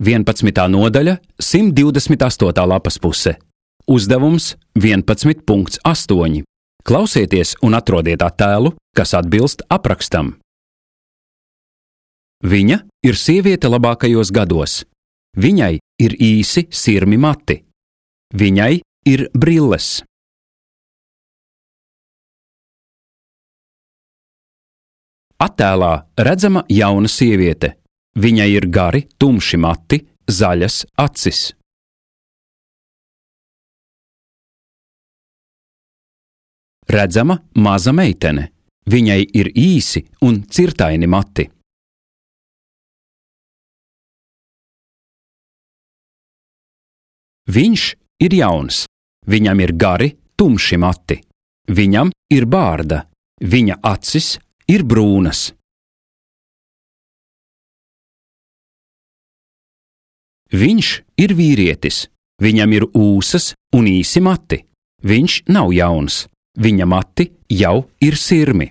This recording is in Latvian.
11. nodaļa, 128. lapas puse. Uzdevums 11.8. Klausieties un atrodiet attēlu, kas atbilst aprakstam. Viņa ir sieviete labākajos gados. Viņai ir īsi sirmi mati. Viņai ir brilles. Attēlā redzama jauna sieviete. Viņai ir gari, tumši mati, zaļas acis. Redzama maza meitene. Viņai ir īsi un cirtaini mati. Viņš ir jauns. Viņam ir gari, tumši mati. Viņam ir bārda. Viņa acis ir brūnas. Viņš ir vīrietis. Viņam ir ūsas un īsi mati. Viņš nav jauns. Viņa mati jau ir sirmi.